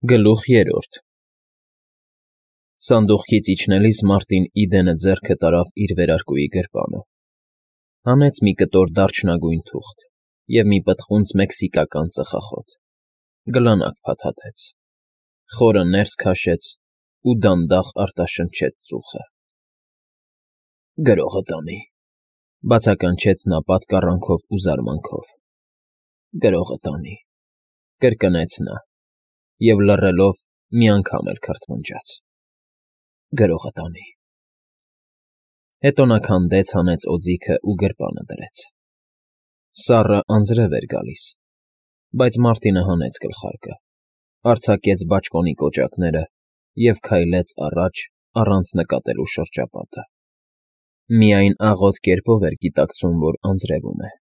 Գլուխ 3 Սանդուղքից իջնելիս Մարտին Իդենը ձեռքը տարավ իր վերարկուի գրպանը, հանեց մի կտոր դարչնագույն թուղթ և մի պտղունց մեքսիկական ծխախոտ, գլանակ փաթաթեց, խորը ներս քաշեց ու դանդաղ արտաշնչեց ծուխը։ ֊ Գրողը տանի,֊ բացականչեց նա պատկառանքով ու զարմանքով։ ֊ Գրողը տանի,֊ կրկնեց նա և, լռելով, մի անգամ էլ քրթմնջաց։ ֊ Գրողը տանի… Հետո նա քանդեց, հանեց օձիքն ու գրպանը դրեց։ Սառը անձրև էր գալիս, բայց Մարտինը հանեց գլխարկը, արձակեց բաճկոնի կոճակները և քայլեց առաջ առանց նկատելու շրջապատը։ Միայն աղոտ կերպով էր գիտակցում, որ անձրևում է։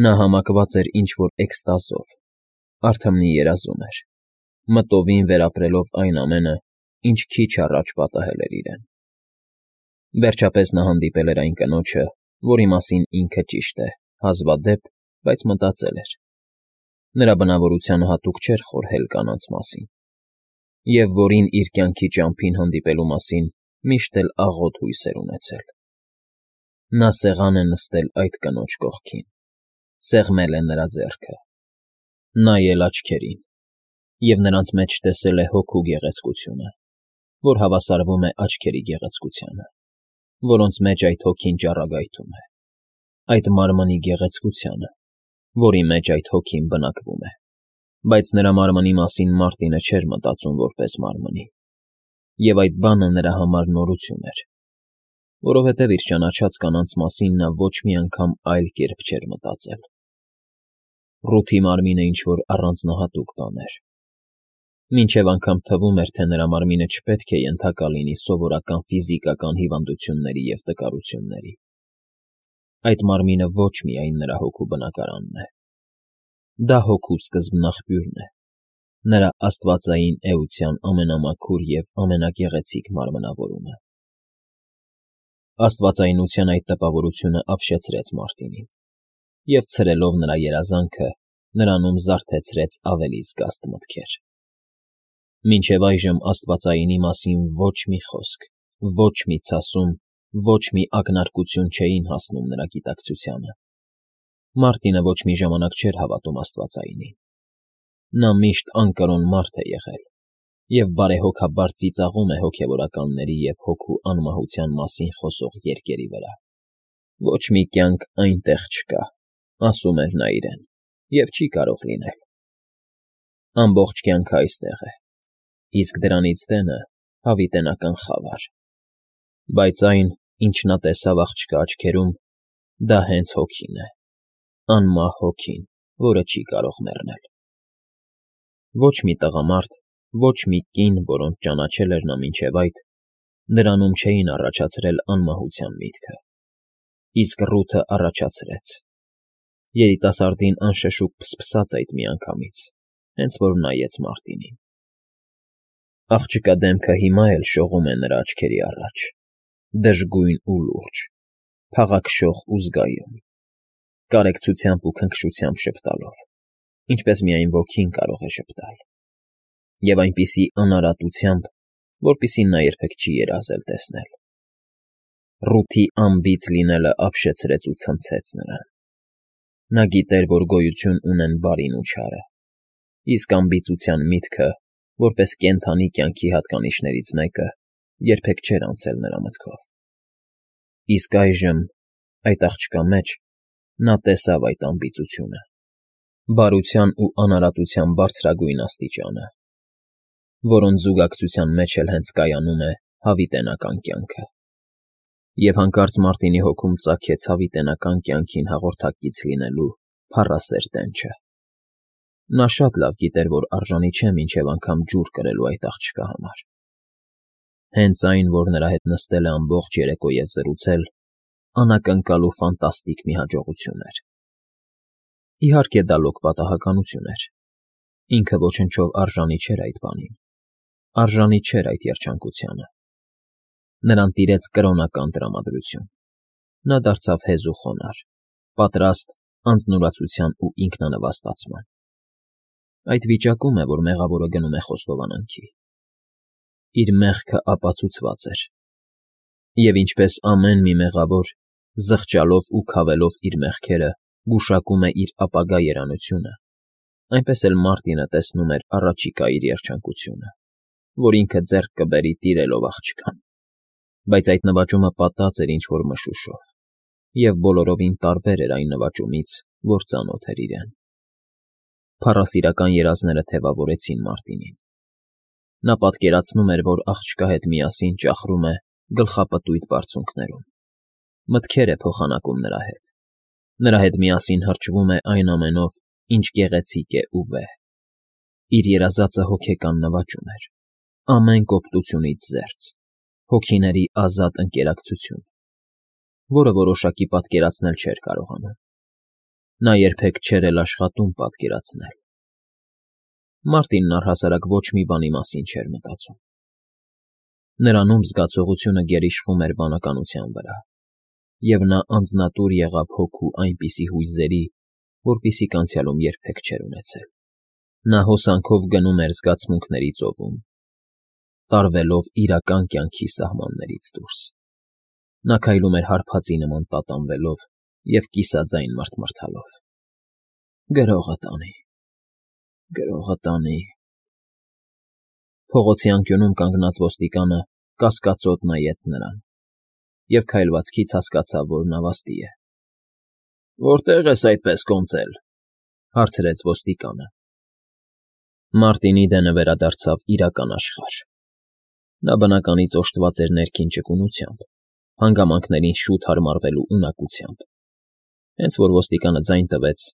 Նա համակված էր ինչ֊որ էքստազով, արթմնի երազում էր, մտովին վերապրելով այն ամենը, ինչ քիչ առաջ պատահել էր իրեն։ Վերջապես նա հանդիպել էր այն կնոջը, որի մասին ինքը, ճիշտ է, հազվադեպ, բայց մտածել էր։ Նրա բնավորությանը հատուկ չէր խորհել կանանց մասին, և որին իր կյանքի ճամփին հանդիպելու մասին միշտ էլ աղոտ հույս էր ունեցել։ Նա սեղան է նստել այդ կնոջ կողքին, սեղմել է նրա ձեռքը, նայել աչքերին և նրանց մեջ տեսել է հոգու գեղեցկությունը, որ հավասարվում է աչքերի գեղեցկությանը, որոնց մեջ այդ հոգին ճառագայթում է, այդ մարմնի գեղեցկությանը, որի մեջ այդ հոգին բնակվում է, բայց նրա մարմնի մասին Մարտինը չէր մտածում որպես մարմնի, և այդ բանը նրա համար նորություն էր, որովհետև իր ճանաչած կանանց մասին նա ոչ մի անգամ այլ կերպ չէր մտածել։ Ռութի մարմինը ինչ֊որ առանձնահատուկ բան էր։ Մինչև անգամ թվում էր, թե նրա մարմինը չպետք է ենթակա լինի սովորական ֆիզիկական հիվանդությունների և տկարությունների։ Այդ մարմինը ոչ միայն նրա հոգու բնակարանն է։ Դա հոգու սկզբնաղբյուրն է, նրա աստվածային էության ամենամաքուր և ամենագեղեցիկ մարմնավորումը։ Աստվածայնության այդ տպավորությունը ապշեցրեց Մարտինին և, ցրելով նրա երազանքը, նրանում զարթեցրեց ավելի զգաստ մտքեր։ Մինչև այժմ աստվածայինի մասին ոչ մի խոսք, ոչ մի ցասում, ոչ մի ակնարկություն չէին հասնում նրա գիտակցությանը։ Մարտինը ոչ մի ժամանակ չէր հավատում աստվածայինին։ Նա միշտ անկրոն մարդ է եղել և բարեհոգաբար ծիծաղում է հոգևորականների և հոգու անմահության մասին խոսող երգերի վրա։ Ոչ մի կյանք այնտեղ չկա, ասում էր նա իրեն, և չի կարող լինել։ Ամբողջ կյանքը այստեղ է, իսկ դրանից դենը հավիտենական խավար։ Բայց այն, ինչ նա տեսավ աղջկա աչքերում, դա հենց հոգին է, անմահ հոգին, որը չի կարող մեռնել։ Ոչ մի տղամարդ, ոչ մի կին, որոնց ճանաչել էր նա մինչև այդ, նրանում չէին առաջացրել անմահության միտքը, իսկ Ռութը առաջացրեց։ Երիտասարդին անշշուկ փսփսաց այդ միանգամից, հենց որ նայեց Մարտինին։ Աղջկա դեմքը հիմա էլ շողում է նրա աչքերի առաջ, դժգույն ու լուրջ, փաղաքշող ու զգայուն, կարեկցությամբ ու քնքշությամբ ժպտալով, ինչպես միայն ոգին կարող է ժպտալ, և այնպիսի անարատությամբ, որպիսի նա երբեք չի երազել տեսնել։ Ռութի անբիծ լինելը ապշեցրեց ու ցնցեց նրան։ Նա գիտեր, որ գոյություն ունեն բարին ու չարը, իսկ անբիծության միտքը, որպես կենդանի կյանքի հատկանիշներից մեկը, երբեք չէր անցել նրա մտքով։ Իսկ այժմ, այդ աղջկա մեջ, նա տեսավ այդ անբիծությունը, բարության ու անարատության բարձրագույն աստիճանը, որոնց զուգակցության մեջ էլ հենց կայանում է հավիտենական կյանքը։ Եվ հանկարծ Մարտինի հոգում ծագեց հավիտենական կյանքին հաղորդակից լինելու փառասեր տենչը։ Նա շատ լավ գիտեր, որ արժանի չէ մինչև անգամ ջուր կրելու այդ աղջկա համար։ Հենց այն, որ նրա հետ նստել է ամբողջ երեկո և զրուցել, անակնկալ ու ֆանտաստիկ մի հաջողություն էր։ Իհարկե, դա լոկ պատահականություն էր։ Ինքը ոչնչով արժանի չէր այդ բանին, արժանի չէր այդ երջանկությանը։ Նրան տիրեց կրոնական տրամադրություն։ Նա դարձավ հեզ ու խոնարհ, պատրաստ անձնուրացության ու ինքնանվաստացման։ Այդ վիճակում է, որ մեղավորը գնում է խոստովանանքի։ Իր մեղքը ապացուցված էր, և ինչպես ամեն մի մեղավոր, զղջալով ու քավելով իր մեղքերը, գուշակում է իր ապագա երանությունը, այնպես էլ Մարտինը տեսնում էր առաջիկա իր երջանկությունը, որ ինքը ձեռք կբերի տիրելով աղջկան, բայց այդ նվաճումը պատած էր ինչ-որ մշուշով, և բոլորովին տարբեր էր այն նվաճումից, որ ծանոթ էր իրեն։ Փառասիրական երազները թևավորեցին Մարտինին։ Նա պատկերացնում էր, որ աղջկա հետ միասին ճախրում է գլխապտույտ բարձունքներում, մտքեր է փոխանակում նրա հետ միասին հրճվում է այն ամենով, ինչ գեղեցիկ է ու վեհ։ Իր երազածը հոգեկան նվաճում էր, ամեն կոպտությունից զերծ, հոգիների ազատ ընկերակցություն, որը որոշակի պատկերացնել չէր կարողանում։ Նա երբեք չէր էլ աշխատում պատկերացնել։ Մարտինն առհասարակ ոչ մի բանի մասին չէր մտածում։ Նրանում զգացողությունը գերիշխում էր բանականության վրա, և նա անձնատուր եղավ հոգու այնպիսի հույզերի, որպիսիք անցյալում երբեք չէր ունեցել։ Նա հոսանքով գնում էր զգացմունքների ծովում, տարվելով իրական կյանքի սահմաններից դուրս։ Նա քայլում էր հարբածի նման տատանվելով և կիսաձայն մռթմռթալով. «Գրողը տանի, գրողը տանի»։ Փողոցի անկյունում կանգնած ոստիկանը կասկածոտ նայեց նրան և քայլվածքից հասկացավ, որ նավաստի է։ «Որտե՞ղ ես այդպես կոնծել,֊ հարցրեց ոստիկանը։ Մարտինի դենը վերադարձավ իրական աշխարհ։ Նա բնականից օժտված էր ներքին ճկունությամբ, հանգամանքներին շուտ հարմարվելու ունակությամբ։ Հենց որ ոստիկանը ձայն տվեց,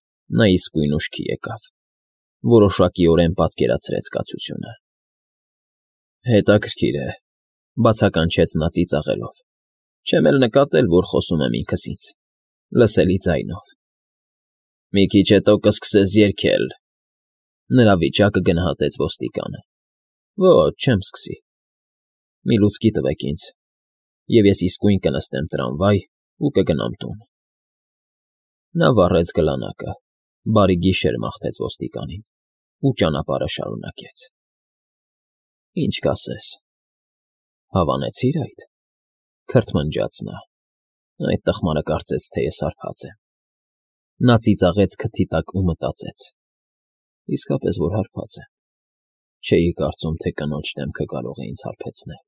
նա իսկույն ուշքի եկավ, որոշակիորեն պատկերացրեց կացությունը։ «Հետաքրքիր է,֊ բացականչեց նա ծիծաղելով,֊ չեմ էլ նկատել, որ խոսում եմ ինքս ինձ, լսելի ձայնով։ Մի քիչ հետո կսկսես երգել,֊ նրա վիճակը գնահատեց ոստիկանը։ Ոչ, չեմ սկսի։ Մի լուցկի տվեք ինձ, և ես իսկույն կնստեմ տրամվայ ու կգնամ տուն»։ Նա վառեց գլանակը, բարի գիշեր մաղթեց ոստիկանին ու ճանապարհը շարունակեց։ «Ինչ կասես, հավանեցի՞ր այդ,֊ քրթմնջաց նա։ Այդ տխմարը կարծեց, թե ես հարբած եմ։ Նա ծիծաղեց քթի տակ ու մտածեց. իսկապես որ հարբած եմ, չէի կարծում, թե կնոջ դեմքը կարող է ինձ հարբեցնել։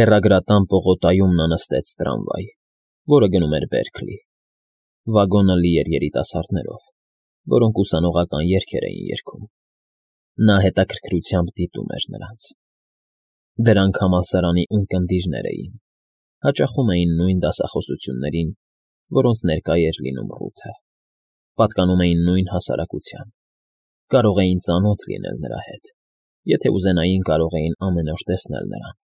Հեռագրատան պողոտայում նա նստեց տրամվայ, որը գնում էր Բերքլի։ Վագոնը լի էր երիտասարդներով, որոնք ուսանողական երգեր էին երգում։ Նա հետաքրքրությամբ դիտում էր նրանց։ Դրանք համալսարանի ունկնդիրներ էին, հաճախում էին նույն դասախոսություններին, որոնց ներկա էր լինում Ռութը, պատկանում էին նույն հասարակության, կարող էին ծանոթ լինել նրա հետ, եթե ուզենային կարող էին ամեն օր տեսնել նրան։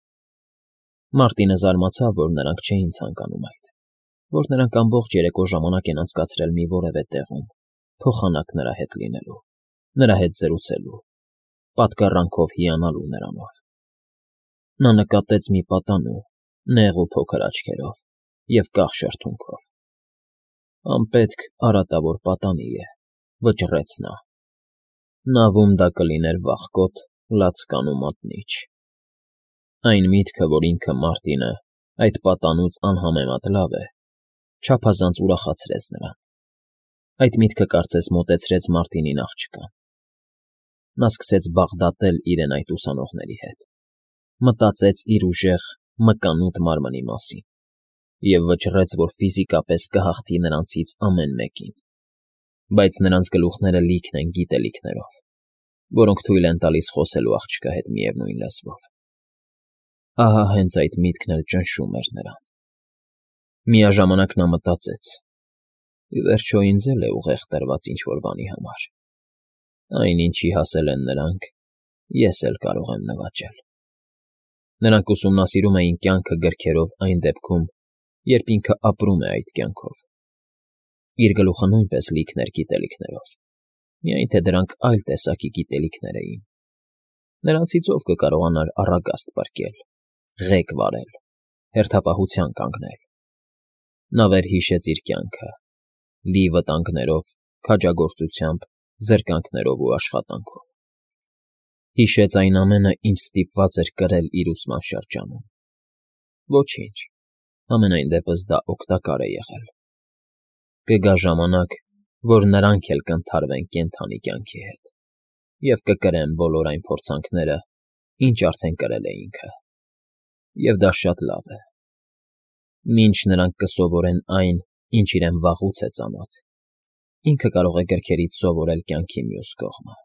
Մարտինը զարմացավ, որ նրանք չէին ցանկանում այդ, որ նրանք ամբողջ երեկո ժամանակ են անցկացրել մի որևէ տեղում, փոխանակ նրա հետ լինելու, նրա հետ զրուցելու, պատկառանքով հիանալու նրանով։ Նա նկատեց մի պատանու, նեղ ու փոքր աչքերով և կախ շրթունքով։ «Անպետք արատավոր պատանի է,֊ վճռեց նա։ Նավում դա կլիներ վախկոտ, լացկան ու մատնիչ»։ Այն միտքը, որ ինքը Մարտինը այդ պատանուց անհամեմատ լավ է, չափազանց ուրախացրեց նրան։ Այդ միտքը կարծես մոտեցրեց Մարտինին աղջկան։ Նա սկսեց բաղդատել իրեն այդ ուսանողների հետ, մտածեց իր ուժեղ, մկանուտ մարմնի մասին և վճռեց, որ ֆիզիկապես կհաղթի նրանցից ամեն մեկին, բայց նրանց գլուխները լիքն են գիտելիքներով, որոնք թույլ են տալիս խոսելու աղջկա հետ միևնույն լեզվով։ Ահա հենց այդ միտքն էլ ճնշում էր նրան։ Միաժամանակ նա մտածեց. ի վերջո ինձ էլ է ուղեղ տրված ինչ֊որ բանի համար։ Այն, ինչի հասել են նրանք, ես էլ կարող եմ նվաճել։ Նրանք ուսումնասիրում էին կյանքը գրքերով այն դեպքում, երբ ինքը ապրում է այդ կյանքով։ Իր գլուխը նույնպես լիքն էր գիտելիքներով, միայն թե դրանք այլ տեսակի գիտելիքներ էին։ Նրանցից ով կկարողանար առագաստ պրկել, ղեկ վարել, հերթապահության կանգնել։ Նա վերհիշեց իր կյանքը՝ լի վտանգներով, քաջագործությամբ, զրկանքներով ու աշխատանքով։ Հիշեց այն ամենը, ինչ ստիպված էր կրել իր ուսման շրջանում։ Ոչինչ, համենայն դեպս դա օգտակար է եղել։ Կգա ժամանակ, որ նրանք էլ կընդհարվեն կենդանի կյանքի հետ և կկրեն բոլոր այն փորձանքները, ինչ արդեն կրել է ինքը։ Եվ դա շատ լավ է։ Մինչ նրանք կսովորեն այն, ինչ իրեն վաղուց է ծանոթ, ինքը կարող է գրքերից սովորել կյանքի մյուս կողմը։